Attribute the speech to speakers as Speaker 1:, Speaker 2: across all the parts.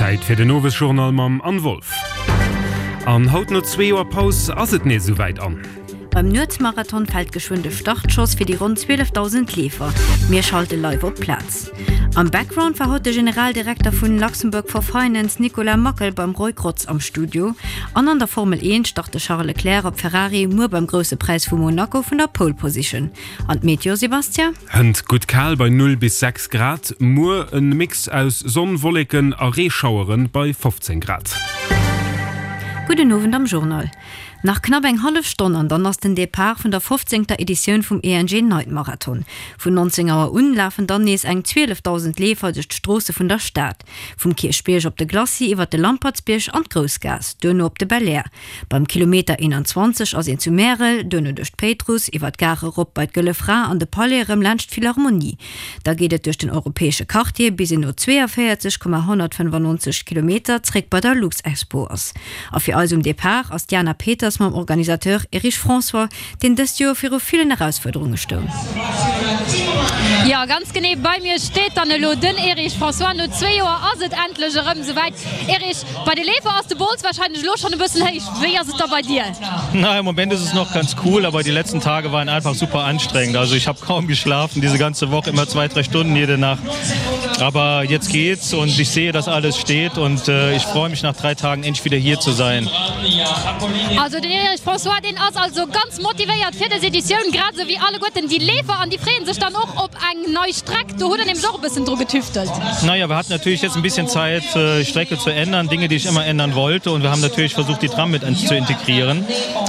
Speaker 1: Zäit fir den Owesjournal mam Anne Wolff. An haut no zwee Joer Paus ass et nees esouwäit an.
Speaker 2: Beim Nuetsmarathon fält geschwënn de Startschoss fir déi ronn 12.000 Leefer. Mir schalte live op d'Plaz. Am Background war haut de Generaldirekter vun Luxembourg for Finance Nicolas Mackel beim Roy Grotz am Studio. An an der Formel 1 start de Charles Leclerc op Ferrari muer beim Grousse Präis vu Monaco vun der Pole Position. An d'Meteo, Sébastien?
Speaker 1: Hënt gutt kal bei 0 bis 6 Grad, muer en Mix aus Sonn, Wolleken a Reeschaueren bei 15 Grad.
Speaker 2: Gudden Owend am Journal. Nach knapp eng hallef Stonn an dann ass den Depart vun der fofzéngter Editioun vum ENG Night Marathon. Vun 19 Auer un lafen dann nees eng 12.000 Leefer duerch d'Stroosse vun der Stad. Vum Kierchbierg op de Glacis, iwwer de Lampertsbierg an d'Groussgaass, duerno op de Belair. Beim Kilometer 21 ass een zu Märel, duerno duerch d'Péitruss, iwwer d'Gare erop bei d'Gëlle Fra an de Palais erëm laanscht d'Philharmonie. Da geet et duerch den europäesche Quartier, bis een no 42,195 Kilometer zréck bei der Luxexpo ass. A fir eis um Depart ass d'Jana Peters mam Organisateur Erich François, deen dëst Joer viru villen Erausfuerderunge stoung.
Speaker 3: Jo, ganz genee, bei mir steet dann elo den Erich François. No zwee Joer ass et endlech erëm esouwäit. Erich, bei de Leefer ass de Bols wahrscheinlech elo schonn e bëssen héich. Wéi ass et da bei dir?
Speaker 4: Na, im Moment ist es noch ganz cool, aber die letzten Tage waren einfach super anstrengend. Also ich habe kaum geschlafen, diese ganze Woche immer zwei, drei Stunden jede Nacht. Aber jetzt geht's und ich sehe, dass alles steht und äh, ich freue mich nach drei Tagen endlich wieder hier zu sein.
Speaker 3: Also den Erich François, deen ass also ganz motivéiert fir des Editioun, grad esou wéi alleguerten déi Leefer an déi freeën sech dann och op eng nei Streck. Do hutt der nämlech och e bëssen dru getüftelt.
Speaker 4: Naja, wir hatten natürlich jetzt ein bisschen Zeit, äh, Strecke zu ändern, Dinge, die ich immer ändern wollte und wir haben natürlich versucht, die Tram mit zu integrieren.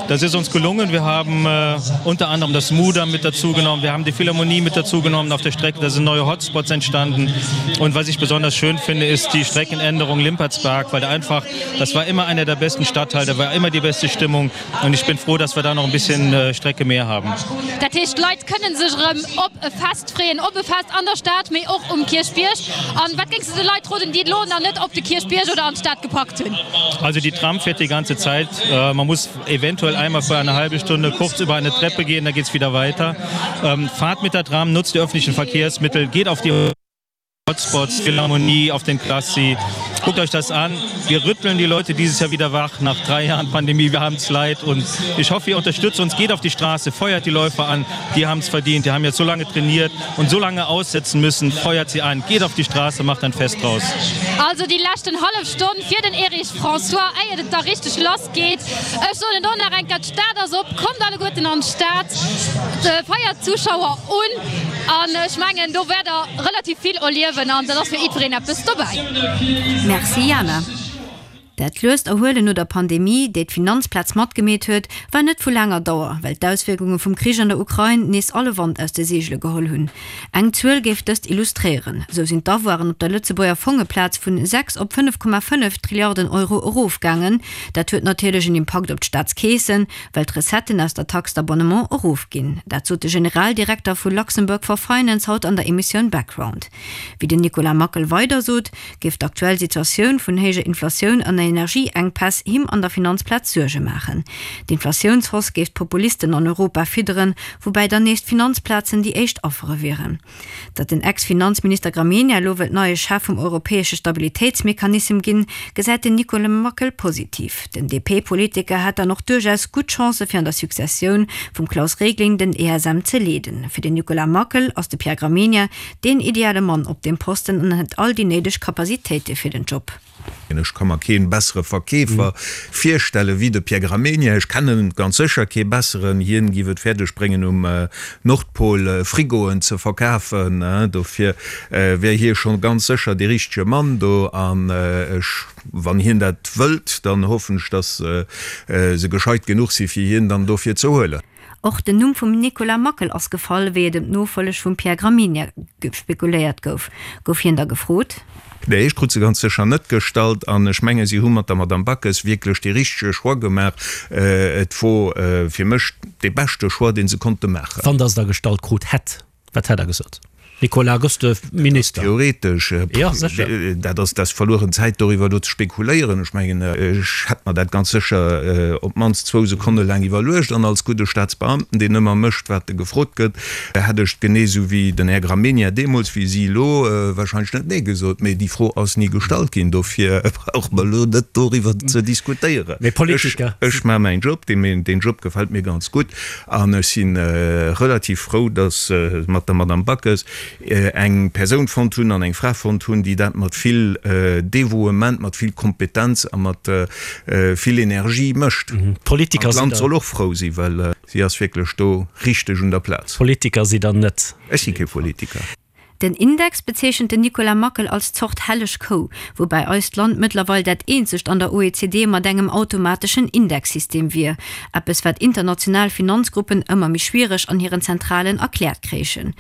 Speaker 4: Das ist uns gelungen. Wir haben äh, unter anderem das Muda mit dazu genommen, wir haben die Philharmonie mit dazu genommen auf der Strecke, da sind neue Hotspots entstanden. Und was ich besonders schön finde, ist die Streckenänderung Limpertsberg, weil da einfach, das war immer einer der besten Stadtteile, da war immer die beste Stimmung und ich bin froh, dass wir da noch ein bisschen äh, Strecke mehr haben.
Speaker 3: Dat heescht, d'Leit kënnen sech erëm op e Fest freeën, op e Fest an der Stad, mee och um Kierchbierg. An wat géings de de Leit roden, déi et elo nach net op de Kierchbierg oder an d'Stad gepackt hunn?
Speaker 4: Also die Tram fährt die ganze Zeit. Äh, man muss eventuell einmal für eine halbe Stunde kurz über eine Treppe gehen, dann geht es wieder weiter. Ähm, fahrt mit der Tram, nutzt die öffentlichen Verkehrsmittel, geht auf die Hotspots, Philharmonie, auf den Klassi. Guckt euch das an. Wir rütteln die Leute dieses Jahr wieder wach nach drei Jahren Pandemie. Wir haben es leid und ich hoffe, ihr unterstützt uns. Geht auf die Straße, feuert die Läufer an. Die haben es verdient. Die haben jetzt so lange trainiert und so lange aussetzen müssen. Feuert sie an. Geht auf die Straße, macht ein Fest draus.
Speaker 3: Also déi leschten hallef Stonn fir den Erich François, éiert et da richteg lass geet. Ech soen et och nach eng Kéier, d'Stad ass op, kommt alleguerten an d'Stad, feiert d'Zuschauer un an ech mengen do wäert der relativ vill erliewen an dat ass fir jiddwereen eppes dobäi.
Speaker 2: Merci Jana. Dat luest Erhuelen no der Pandemie, déi d'Finanzplaz matgemeet huet, war net vu laanger Dauer, well d'Auswierkunge vum Krich an der Ukrain nees alle Wand aus de Seegele geholl hunn. Eng Zuel géif dëst illustréieren, Esou sinn d'Avoiren op der Lëtzebuerger Fongeplaz vun 6 op 5,5 Trilliarden Euro erofgaangen. Dat huet natierlech en Impakt op d'Staatskeesen, well d'Recetten aus der Taxe d'abonnement erofginn. Dat sot de Generaldirekter vu Luxembourg for Finance haut an der Emissioun Background. Wéi den Nicolas Mackel weider sot, géif d'aktuell Situatioun vun héijer Inflatioun an Energieenkpäss him an der Finanzplaz Suerge maachen. D'Inflatiounshausse géif d'Populisten an Europa fidderen, woubäi dann nees d'Finanzplazen déi éischt Affere wieren. Datt den Ex-Finanzminister Gramegna elo wëllt neie Chef vum europäesche Stabilitéitsmechanissem ginn, gesäit den Nicolas Mackel positiv. Den DP-Politiker hätt dann och duerchaus gutt Chancë fir an der Successioun vum Klaus Regling den ESM ze leeden. Fir den Nicolas Mackel ass de Pierre Gramegna Deen ideale Mann op deem Posten an huet all déi néideg Capacitéite fir den Job.
Speaker 5: Ech ka mer kee bessere Verkeefer virstelle wéi de Pierre Gramegna. Ech kennen ganz sécher kee besseren. Hien giff et fäerdeg bréngen um Nordpol Frigoen ze verkafen. Dofir wär hie scho ganz sécher dee richtege Mann do. An ech, wann hien dat wëllt, dann hoffen ech, datt se gescheit genuch si fir hien dann dofir ze huelen.
Speaker 2: Och den Numm vum Nicolas Mackel ass gefall, wéi et ëm d'Nofolleg vum Pierre Gramegna spekuléiert gouf. Gouf hien da gefrot?
Speaker 5: Nee, ech krut se ganz sécher net gestallt an ech menge si hu mat der Madame Backes wierklech dee richtege Choix gemaach. Et wor fir mech dee beschte Choix, dee se konnte maachen.
Speaker 6: Wann Der se da gestallt krut hätt, wat hätt Der gesot? Nicolas, gëss de Minister?
Speaker 5: Theoretesch,
Speaker 6: Jo, sécher.
Speaker 5: Dat ass, dat ass verlueren Zäit doriwwer elo ze spekuléieren. Ech mengen, ech hätt mer dat ganz sécher op d'mannst zwou Sekonne laang iwwerluecht an als gudde Staatsbeamten, deen ëmmer mécht, wat e gefrot gëtt, hätt ech genee esou wéi den Här Gramegna deemools, wéi si elo, wahrscheinlech net Nee gesot. Mee déi Fro ass ni gestallt ginn. Dofir brauche mer elo net doriwwer ze diskutéieren.
Speaker 6: Mee Politiker.
Speaker 5: Ech maache mäin Job, deen Job gefält mir ganz gutt. An ech si relativ frou, datt se mat der Madame Backes eng Persoun fonnt hunn an eng Fra fonnt hunn, déi dat mat vill Dévouement, mat vill Kompetenz a mat vill Energie mécht. An d'Land soll och frou sinn, well si ass wierklech do richteg un der Plaz.
Speaker 6: Politiker sidd Der net.
Speaker 5: Ech si kee Politiker.
Speaker 2: Den Index bezeechent den Nicolas Mackel als Zort helleg Kou, woubäi eist Land mëttlerweil dat eenzegt an der OECD mat engem automateschen Indexsystem wier, eppes wat international Finanzgruppen ëmmer méi schwiereg an hiren Zentralen erkläert kréichen.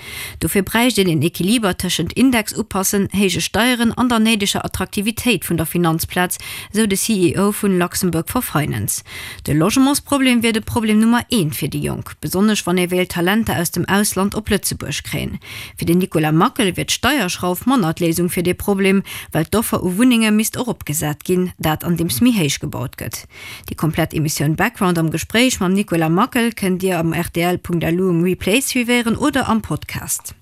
Speaker 2: Dofir bräicht een en Equiliber tëschent Index upassen, héije Steieren an der néideger Attraktivitéit vun der Finanzplaz, sou de CEO vun Luxembourg for Finance. De Logementsproblem wier de Problem Nummer eent fir déi Jonk, besonnesch wann ee wéilt Talenter aus dem Ausland op Lëtzebuerg kréien. Fir den Nicolas Mackel wier d'Steierschrauf manner d'Léisung fir dee Problem, well d'Offer u Wunnenge misst eropgesat ginn, dat andeems méi héich gebaut gëtt. Déi komplett Emissioun Background am Gespréich mam Nicolas Mackel kënnt Dir am rtl.lu um Replay suivéieren oder am Podcast.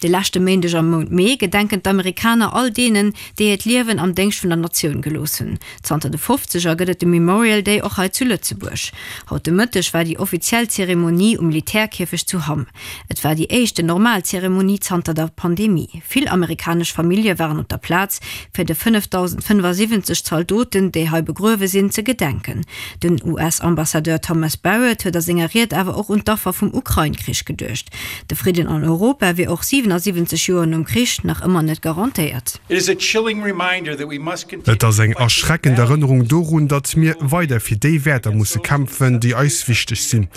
Speaker 2: De leschte Méindeg am Mount Mee gedenken d'Amerikaner all deenen, déi hiert Liewen am Déngscht vun der Natioun gelooss hunn. Zanter de Fofzeger gëtt et de Memorial Day och hei zu Lëtzebuerg. Haut de Mëtteg war déi offiziell Zeremonie um Militärkierfecht zu Hamm. Et war déi éischten normal Zeremonie zanter der Pandemie. Vill amerikanesch Famillje waren op der Plaz, fir de 5.075 Zaldoten, déi hei begruewe sinn, ze gedenken. Den US-Ambassadeur Thomas Barrett huet a senger Ried awer och un d'Affer vum Ukrain-Krich geduecht. De Fridden an Europa wier och 77 Joer nom Krich nach ëmmer net garantéiert.
Speaker 7: Et ass eng erschreckend Erënnerung dorun, datt mir weider fir déi Wäerter musse kämpfen, déi eis wichteg sinn.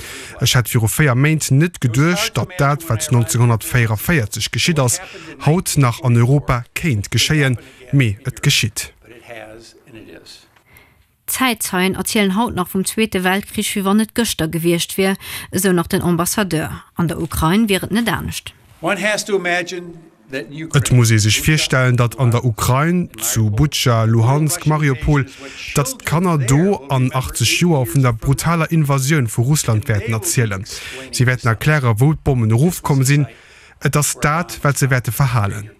Speaker 7: Ech hätt viru 4 Méint net geduecht, datt dat, wat 1944 geschitt ass, haut nach an Europa kéint geschéien, mee et geschitt.
Speaker 2: Zäitzeien erzielen haut nach vum Zweete Weltkrich, wéi wann et gëschter gewiescht wier, esou nach den Ambassadeur. An der Ukrain wier et net anescht.
Speaker 7: Et muss ee sech virstellen, datt an der Ukrain, zu Butscha, Luhansk, Mariupol, datt d'Kanner do an 80 Joer vun der brutaler Invasioun vu Russland wäerten erzielen. Si wäerten erkläre wou d'Bommen erofkomm sinn. Et ass dat, wat se wäerte verhalen.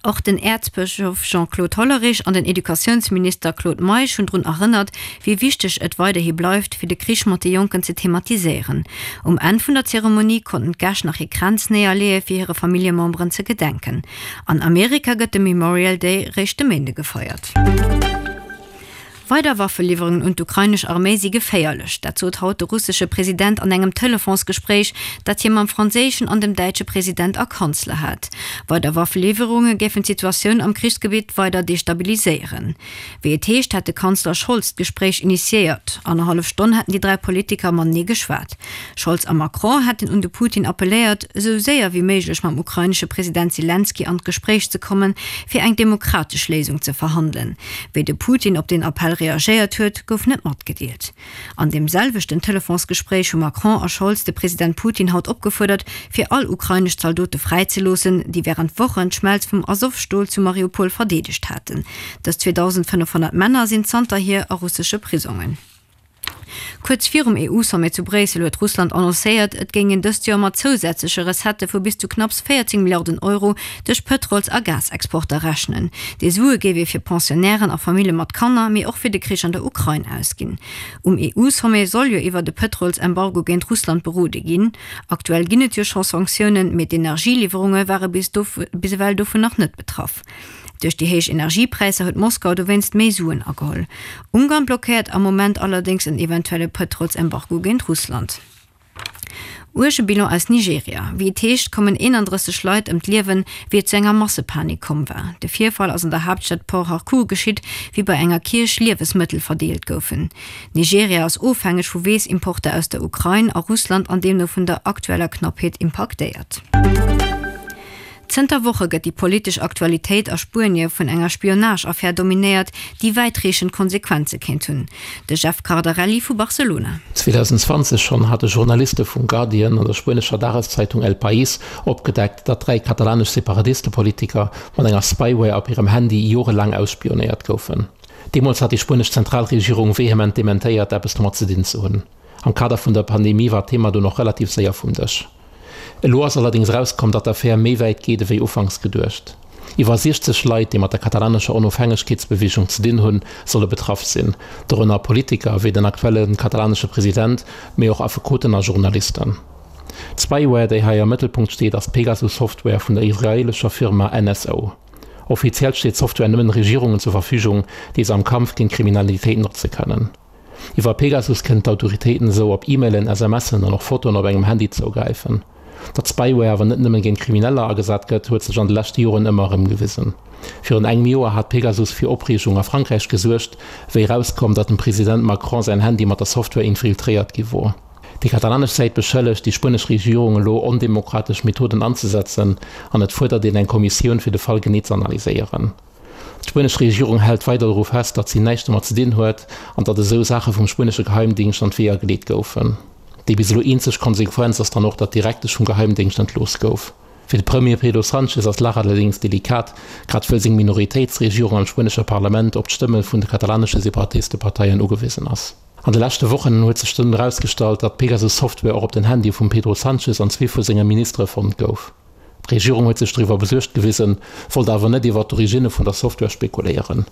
Speaker 2: Och den Äerzbëschof Jean-Claude Hollerich an den Educatiounsminister Claude Meisch hunn drun erënnert, wéi wichteg et weiderhi bleift, fir de Krich mat de Jonken ze thematiséieren. Um Enn vun der Zeremonie konnten d'Gäscht nach hir Kränz néierleeë fir hire Familljememberen ze gedenken. An Amerika gëtt de Memorial Day réischt de Méinde gefeiert. Weider Waffeliwwerungen un d'ukrainesch Arméi si geféierlech. Dat sot haut de russesche President an engem Telefonsgespréich, dat hie mam franséischen an dem däitsche President a Kanzler hat. Weider Waffeliwwerunge géifen d'Situatioun am Krichsgebitt weider destabiliséieren. Wéi et heescht, hätt de Kanzler Scholz d'Gespréich initiéiert. Annerhallef Stonn hätten déi 3 Politiker matenee geschwat. Scholz a Macron hätten un de Putin appelléiert, esou séier wéi méiglech mam ukrainesche President Selenskyj an d'Gespréich ze kommen, fir eng demokratesch Léisung ze verhandelen. Wéi de Putin op deen Appell reagéiert huet, gouf net matgedeelt. An deem selwechten Telefonsgespréich hu Macron a Scholz de President Putin haut opgefuerdert, fir all ukrainesch Zaldote fräizeloossen, déi wärend Wochen d'Schmelz vum Azov-Stol zu Mariupol verdeedegt haten. Dës 2.500 Männer sinn zanterhier a russesche Prisongen. Kuerz virum EU-Sommet zu Bréissel huet Russland annoncéiert, et géing een dëst Joer mat zousätzleche Recettë vu bis zu knapps 14 Milliarden Euro duerch Pëtrols a Gasexporter rechnen. Déi Sue géif ee fir Pensionnairen a Famille mat Kanner, mee och fir de Krich an der Ukrain ausginn. Um EU-Sommet soll jo iwwert e Pëtrolsembargo géint Russland berode ginn. Aktuell ginn et jo scho Sanktiounen, mee d'Energieliwwerunge ware bis ewell dovun nach net betraff. Duerch déi héich Energiepräisser huet Moskau dowéinst méi Suen ageholl. Ungarn blockéiert am Moment allerdéngs en eventuelle Pëtrolsembargo géint Russland. Uerge Bilan aus Nigeria, Wéi et heescht, kommen 31 Leit ëm d'Liewen, wéi et zu enger Massepanik komm war. De Virfall ass an der Haaptstad Port Harcourt geschitt, wéi bei enger Kierch Liewesmëttel verdeelt goufen. Nigeria ass ofhängeg vu Weess-Importer aus der Ukrain a Russland an deemno vun der aktueller Knappheet impaktéiert. Zënter Woche gëtt déi politesch Aktualitéit a Spuenie vun enger Spionage-Affär dominéiert, déi wäitreechend Konsequenze kéint hunn. De Jeff Cardarelli vu Barcelona.
Speaker 8: 2020 schonn hate Journaliste vum Guardian an der spuenescher Dageszeitung El País opgedeckt, datt 3 katalanesch Separatistepolitiker mat enger Spyware op hirem Handy jorelaang ausspionéiert goufen. Deemools hat déi spuenesch Zentralregierung vehement dementéiert, eppes domat ze dinn ze hunn. Am Kader vun der Pandemie war d'Thema dunn och relativ séier vum Dësch. Elo ass allerdéngs erauskomm, datt d'Affär méi wäit geet ewéi ufanks geduecht. Iwwer 60 Leit, déi mat der katalanescher Onofhängegkeetsbeweegung ze dinn hunn, solle betraff sinn, dorënner Politiker wéi den aktuelle katalanesche President, mee och Affekoten a Journalisten. D'Spyware, déi hei am Mëttelpunkt steet, ass d'Pegasus-Software vun der israeelescher Firma NSO. Offiziell steet d'Software nëmmen Regierungen zur Verfügung, déi se am Kampf géint Kriminalitéit notze kënnen. Iwwer Pegasus kënnen d'Autoritéiten esou op E-Mailen, SMSen an och Fotoen op engem Handy zougräifen. Datt Spyware awer net nëmmen géint Krimineller agesat gëtt, huet sech an de leschte Joren ëmmer erëm gewisen. Virun engem Joer hat Pegasus fir Opreegung a Frankräich gesuergt, wéi erauskoum, datt dem President Macron säin Handy mat der Software infiltréiert gi wor. Déi katalanesch Säit beschëllegt déi spuenesch Regierung elo ondemokratesch Methoden anzesetzen an et fuerdert een eng Kommissioun fir de Fall genee ze analyséieren. D'spuenesch Regierung hält weider doru fest, datt si näischt domat ze dinn huet an datt esou Saache vum spuenesche Geheimdingscht an d'Weeër geleet goufen. Déi bis elo eenzeg Konsequenz ass dann och, datt d'Direktesch vum Geheimdéngscht entlooss gouf. Fir de Premier Pedro Sanchez ass d'Lag allerdéngs delikat, grad wëll seng Minoritéitsregierung am spuenesche Parlament op d'Stëmme vun de katalanesche Separatisteparteien ugewisen ass. An de leschte Wochen huet sech dunn erausgestallt, datt d'Pegasus-Software och op den Handye vum Pedro Sanchez an zwee vu senge Ministere fonnt gouf. D'Regierung huet sech doriwwer besuergt gewisen, wollt awer net iwwer d'Originne vun der Software spekuléieren.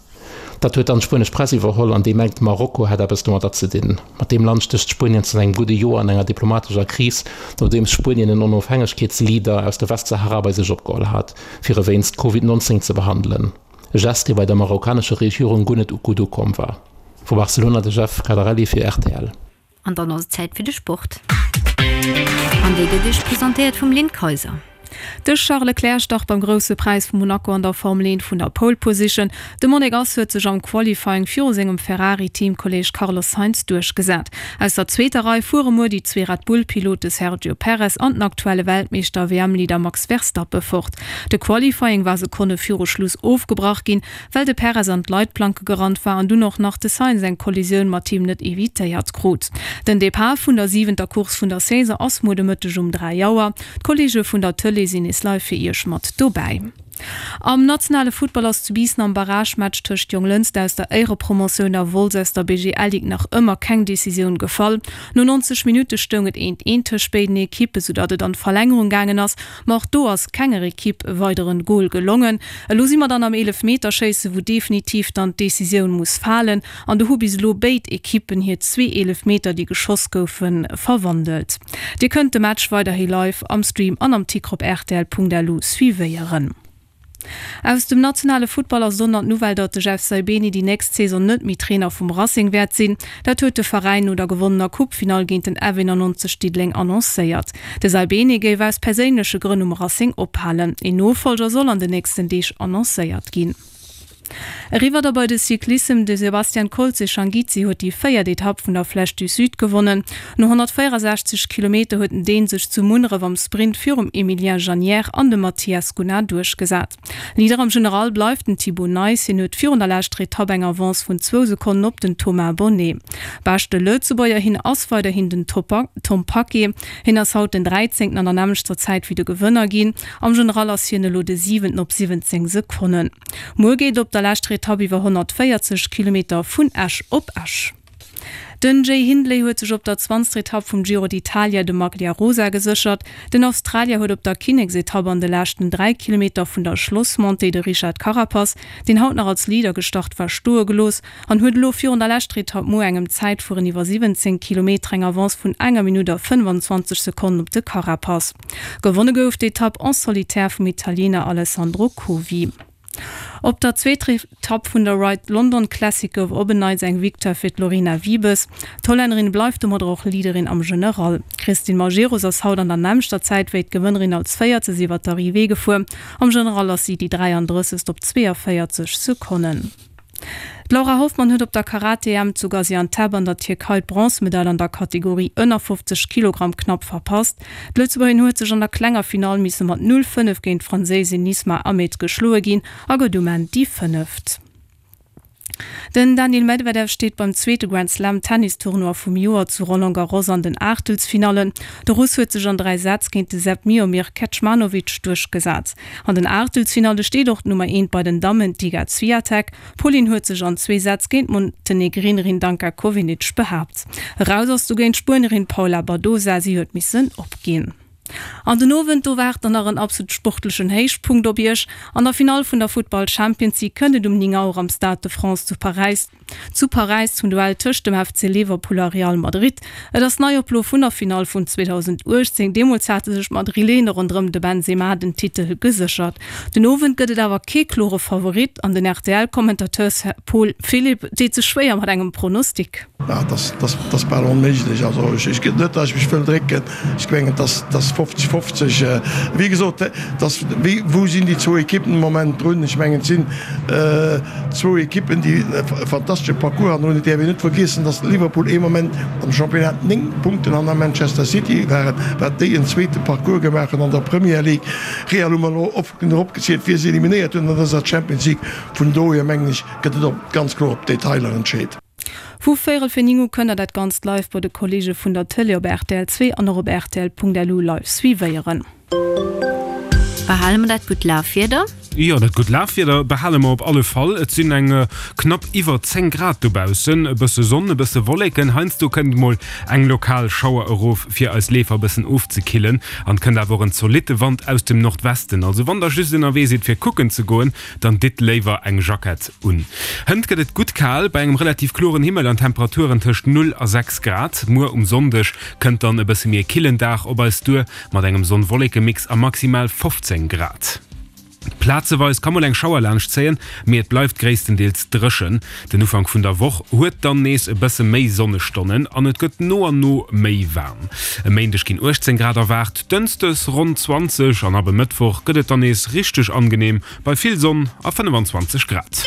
Speaker 8: Dat huet dann d'spuenesch Press iwwerholl an déi mengt, Marokko hätt eppes domadder ze dinn. Mat deem Land stécht Spuenien zanter engem gudde Joer an enger diplomatescher Kris, nodeems Spuenien en Onofhängegkeetsleader aus der Westsahara bei sech opgeholl hat, fir e wéinst Covid 19 ze behandelen. E Gest, dee bei der marokkanescher Regierung guer net gutt ukomm war. Vu Barcelona de Jeff Cardarelli fir rtl.
Speaker 2: An dann ass et Zäit fir de Sport. An dee gëtt Iech presentéiert vum Lynn Kayser.
Speaker 9: De Charles Leclerc start beim Grousse Präis vu Monaco an der Formel 1 vun der Pole Position. De Monegass huet sech am Qualifying viru sengem Ferrari-Teamkolleeg Carlos Sainz duerchgesat. Aus der zweeter Rei fuere muer déi zwee Red Bull-Pilote Sergio Perez an den aktuelle Weltmeeschter a WM-Leader Max Verstappen fort. De Qualifying war Sekonne viru Schluss ofgebrach ginn, well de Perez an d'Leitplanke gerannt war an dunn och nach de Sainz eng Kollisioun mat him net evitéiert krut. Den Depart vun der siwenter Course vun der Saison ass muer de Mëtteg um 3 Auer. D'Kolleege vun der Tëlee sinn nees live fir iech mat dobäi. Am nationale Futtball ass zu Biissen am Barragematch tëscht Jonglënster aus der Éierepromotioun a Wolz aus der BGL-Ligue nach ëmmer keng Decisioun gefall. No 90 Minutte stoung et eent eent tëscht béiden Ekippe, soudatt et an d'Verlängerung gaangen ass. Ma och do ass kenger Ekipp e weideren Gol gelongen. Elo si mer dann am Eelefmeterschéisse wou definitiv dann d'Decisioun muss falen. An do hu bis elo béid Ekippen hir zwee Eelefmeter déi geschoss goufen verwandelt. Dir kënnt de Match weiderhi live am Stream an am Ticker op rtl.lu suivéieren. Aus dem nationale Futtball ass et onnert d'Nouvelle, datt de Jeff Saibene déi nächst Saison net méi Trainer vum Racing wäert sinn. Dat huet de Veräin no der gewonnener Coupefinall géint den F91 Diddeleng annoncéiert. De Saibene géif aus perséinleche Grënn um Racing ophalen. Een Nofollger soll an den nächsten Deeg annoncéiert ginn. Eriwwer da bei de Cyclissem, De Sebastian Kolze-Shangizzi huet déi véiert Etapp vun der Flèche du Sud gewonnen. No 164 Kilometer huet den Dän sech zu Munneref am Sprint virum Emilien Janière an dem Mathias Gunnar duerchgesat. Leader am General bleift den Thibau Nys, hien huet virun der leschter Etapp eng Avance vun zwou Sekonnen op den Thomas Bonnet. Beschte Lëtzebuerger hin ass weiderhin den Tom Paquet, hien ass haut den Dräizéngten an der nämmlechter Zäit wéi de Gewënner ginn. Am General ass hien elo de Siwenten op 17 Sekonnen. Muer geet et op der leschter Etapp iwwer 140 Kilometer vun Esch op Esch. Den Jay Hindley huet sech op der zwanzter Etapp vum Giro d'Italia de Maglia Rosa geséchert. Den Australier huet op der Kinneksetapp an de leschten 3 Kilometer vun der Schlossmontée de Richard Carapaz, deen haut nach als Leader gestart war, stoe gelooss an huet elo virun der leschter Etapp muer engem Zäitfueren iwwer 17 Kilometer eng Avance vun enger Minutt a 25 Sekonnen op de Carapaz. Gewonne gouf d'Etapp en solitaire vum Italiener Alessandro Covi. Op der zweeter Etapp vun der Ride London Classic gouf op en Neits eng Victoire fir d'Lorena Wiebes. D'Hollännerin bleift domadder och Leaderin am General. D'Christine Majerus ass haut an der nämmlechter Zäit wéi d'Gewënnerin als Véiertes iwwer d'Arrivée gefuer. Am General ass si déi 33. op 42 Sekonnen. D'Laura Hoffmann huet op der Karate-EM zu Gaziantep an der Tierkei d'Bronzemedail an der Kategorie ënner 50 Kilogramm knapp verpasst. D'Lëtzebuergerin huet sech an der klenger Finall misse mat 0, 5 géint d'Franséisin Nisma Ahmed geschloe ginn a gëtt um Enn déi Fënneft. Den Daniil Medvedev steet beim zweete Grand Slam Tennis-Tournoi vum Joer zu Roland Garros an den Aachtelsfinallen. De Russ huet sech an 3 Sätz géint de Serb Miomir Kecmanovic duerchgesat. An den Aachtelsfinalle steet och d'Nummer eent bei den Dammen, d'Iga Swiatek. D'Polin huet sech an zwee Sätz géint d'Montenegrinerin Danka Kovinic behaapt. Eraus ass dogéint d'Spuenerin Paula Badosa, si huet missen opginn. An den Owend, do waart dann nach en absolut sportlechen Héichpunkt op iech. An der Finall vun der Futtball Champions League kënnt et um 9 Auer am Stade de France zu Paräis zu Paräis zum Duell tëscht dem FC Liverpool a Real Madrid. Et ass d'Neioplo vun der Finall vun 2018. Deemools hate sech d'Madrilene ronderëm de Benzema den Titel geséchert. Den Owend gëtt et awer kee klore Favorit an den RTL-Commentateur Paul Philipp deet sech schwéier mat engem Pronostic.
Speaker 10: Dat ass bal onméiglech. Also ech gëtt net, datt ech mech wëll drécken. Ech mengen, et ass 50, 50. Wéi gesot, et ass, wéi, wou sinn déi zwou Ekippen de Moment drun? Ech mengen, et sinn zwou Ekippen, déi e fantastesche Parcours hannen hunn. Et däerf een net vergiessen, datt Liverpool ee Moment am Championnat 9 Punkten hanner Manchester City waren, wat déi en zweete Parcours gemaach hunn an der Premier League. Real hu mer elo oft genuch opgezielt, wie se eliminéiert hunn an dëser Champions League. Vun dohier mengen ech, gëtt et op, ganz kloer op d'Detailer entscheet.
Speaker 9: Vu véierel fir 9 u kënnt der dat Ganzt live bei de Kolleege vun der Tëlee op rtl 2 an och op rtl.lu live suivéieren.
Speaker 2: Behale mer dat gutt Lafwieder?
Speaker 1: Jo, dat gutt Lafwieder behale mer op alle Fall. Et sinn eng knapp iwwer 10 Grad dobaussen, e bësse Sonn, e bësse Wolleken. Heiansdo kënnt mol eng lokal Schauer erof, fir eis Leefer e bëssen ofzekillen. An et kënnt awer och en zolitte Wand aus dem Nordwesten. Also wann der just ënnerwee sidd fir kucken ze goen, Dann ditt léiwer eng Jackett un. Hënt gëtt et gutt kal, bei engem relativ kloren Himmel an Temperaturen tëscht 0 a 6 Grad. Muer um Sonndeg kënnt dann e bësse méi e killen Dag op eis duer, mat engem Sonn-Wolleke-Mix a maximal 15 Grad. Plazeweis ka mol eng Schauer laanschtzéien, mee et bleift gréisstendeels dréchen. Den Ufank vun der Woch huet dann nees e bësse méi Sonnestonnen an et gëtt no an no méi waarm. E Méindeg ginn 18 Grad erwaart, dënschdes ronn 20 an ab e Mëttwoch gëtt et dann nees richteg angeneem bei vill Sonn a 25 Grad.